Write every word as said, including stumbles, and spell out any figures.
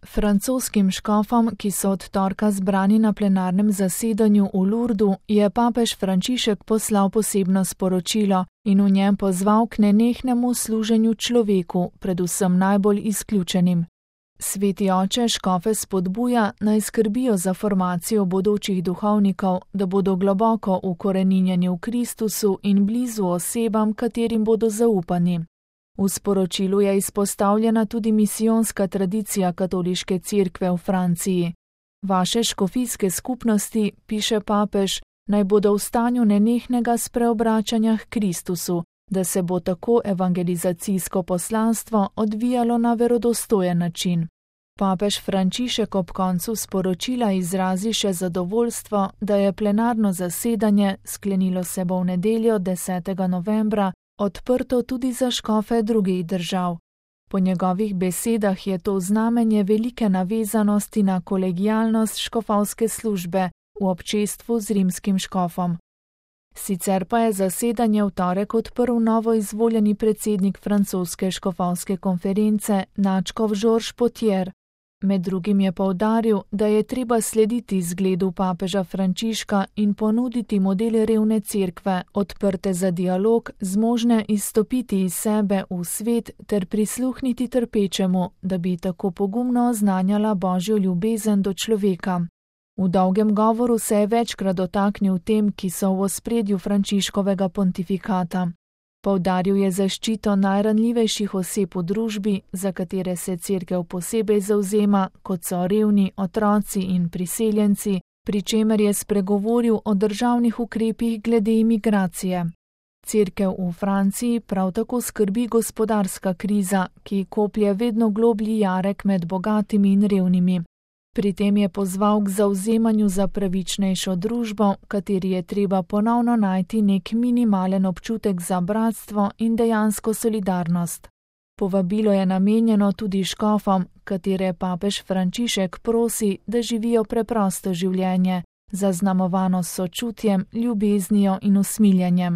Francoskim škofom, ki so od torka zbrani na plenarnem zasedanju v Lourdu, je papež Frančišek poslal posebno sporočilo in v njem pozval k nenehnemu služenju človeku, predvsem najbolj izključenim. Sveti oče škofe spodbuja, naj skrbijo za formacijo bodočih duhovnikov, da bodo globoko ukoreninjeni v Kristusu in blizu osebam, katerim bodo zaupani. V sporočilu je izpostavljena tudi misijonska tradicija katoliške cerkve v Franciji. Vaše škofijske skupnosti, piše papež, naj bodo v stanju nenehnega spreobračanja k Kristusu, da se bo tako evangelizacijsko poslanstvo odvijalo na verodostojen način. Papež Frančišek ob koncu sporočila izrazi še zadovoljstvo, da je plenarno zasedanje, sklenilo se bo v nedeljo desetega novembra, odprto tudi za škofe drugih držav. Po njegovih besedah je to znamenje velike navezanosti na kolegialnost škofovske službe v občestvu z rimskim škofom. Sicer pa je zasedanje v torek odprl novo izvoljeni predsednik francoske škofovske konference nadškof Georges Potier. Med drugim je poudaril, da je treba slediti zgledu papeža Frančiška in ponuditi modele revne cerkve, odprte za dialog, zmožne izstopiti iz sebe v svet ter prisluhniti trpečemu, da bi tako pogumno oznanjala Božjo ljubezen do človeka. V dolgem govoru se je večkrat dotaknil tem, ki so v ospredju Frančiškovega pontifikata. Poudaril je zaščito najranljivejših oseb v družbi, za katere se cerkev posebej zavzema, kot so revni, otroci in priseljenci, pri čemer je spregovoril o državnih ukrepih glede imigracije. Cerkev v Franciji prav tako skrbi gospodarska kriza, ki koplje vedno globlji jarek med bogatimi in revnimi. Pri tem je pozval k zavzemanju za pravičnejšo družbo, kateri je treba ponovno najti nek minimalen občutek za bratstvo in dejansko solidarnost. Povabilo je namenjeno tudi škofom, katere papež Frančišek prosi, da živijo preprosto življenje, zaznamovano s sočutjem, ljubeznijo in usmiljenjem.